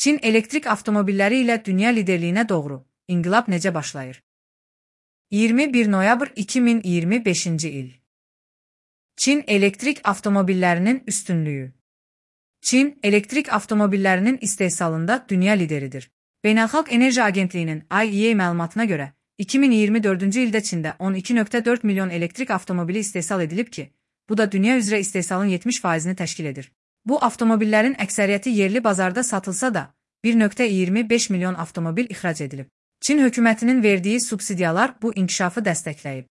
Çin elektrik avtomobilləri ilə dünya liderliyinə doğru inqilab necə başlayır? 21 noyabr 2025-ci il. Çin elektrik avtomobillərinin üstünlüyü. Çin elektrik avtomobillərinin istehsalında dünya lideridir. Beynəlxalq Enerji Agentliyinin IEA məlumatına görə 2024-cü ildə Çində 12,4 milyon elektrik avtomobili istehsal edilib ki, bu da dünya üzrə istehsalın 70%-ni təşkil edir. Bu avtomobillərin əksəriyyəti yerli bazarda satılsa da 1,25 milyon avtomobil ixrac edilib. Çin hökumətinin verdiyi subsidiyalar bu inkişafı dəstəkləyib.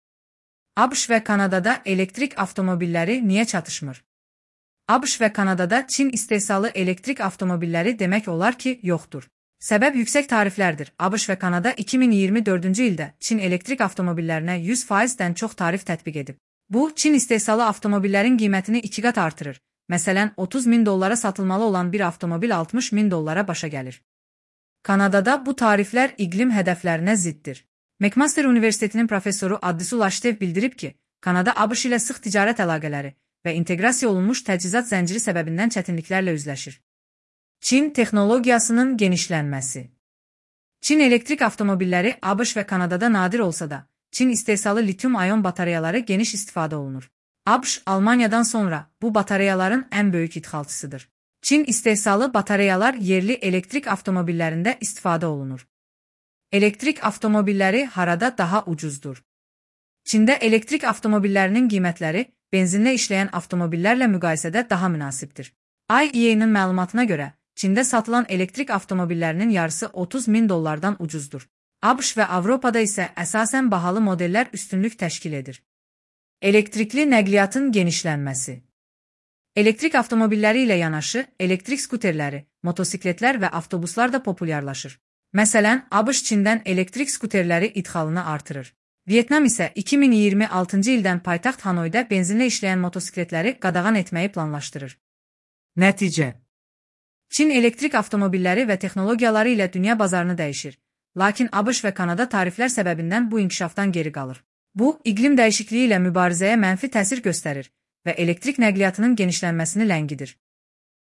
ABŞ və Kanadada elektrik avtomobilləri niyə çatışmır? ABŞ və Kanadada Çin istehsalı elektrik avtomobilləri demək olar ki, yoxdur. Səbəb yüksək tariflərdir. ABŞ və Kanada 2024-cü ildə Çin elektrik avtomobillərinə 100%-dən çox tarif tətbiq edib. Bu, Çin istehsalı avtomobillərin qiymətini 2 qat artırır. Məsələn, 30 min dollara satılmalı olan bir avtomobil 60 min dollara başa gəlir. Kanadada bu tariflər iqlim hədəflərinə ziddir. McMaster Universitetinin professoru Addisul Ashitev bildirib ki, Kanada ABŞ ilə sıx ticarət əlaqələri və inteqrasiya olunmuş təchizat zənciri səbəbindən çətinliklərlə üzləşir. Çin texnologiyasının genişlənməsi. Çin elektrik avtomobilləri ABŞ və Kanadada nadir olsa da, Çin istehsalı lityum-ayon batareyaları geniş istifadə olunur. ABŞ, Almaniyadan sonra bu batareyaların ən böyük idxalçısıdır. Çin istehsalı batareyalar yerli elektrik avtomobillərində istifadə olunur. Elektrik avtomobilləri harada daha ucuzdur? Çində elektrik avtomobillərinin qiymətləri benzinlə işləyən avtomobillərlə müqayisədə daha münasibdir. IEA-nin məlumatına görə, Çində satılan elektrik avtomobillərinin yarısı 30 min dollardan ucuzdur. ABŞ və Avropada isə əsasən bahalı modellər üstünlük təşkil edir. Elektrikli nəqliyyatın genişlənməsi. Elektrik avtomobilləri ilə yanaşı, elektrik skuterləri, motosikletlər və avtobuslar da populyarlaşır. Məsələn, ABŞ Çindən elektrik skuterləri idxalını artırır. Vyetnam isə 2026-cı ildən paytaxt Hanoyda benzinlə işləyən motosikletləri qadağan etməyi planlaşdırır. Nəticə. Çin elektrik avtomobilləri və texnologiyaları ilə dünya bazarını dəyişir. Lakin ABŞ və Kanada tariflər səbəbindən bu inkişafdan geri qalır. Bu, iqlim dəyişikliyi ilə mübarizəyə mənfi təsir göstərir və elektrik nəqliyyatının genişlənməsini ləngidir.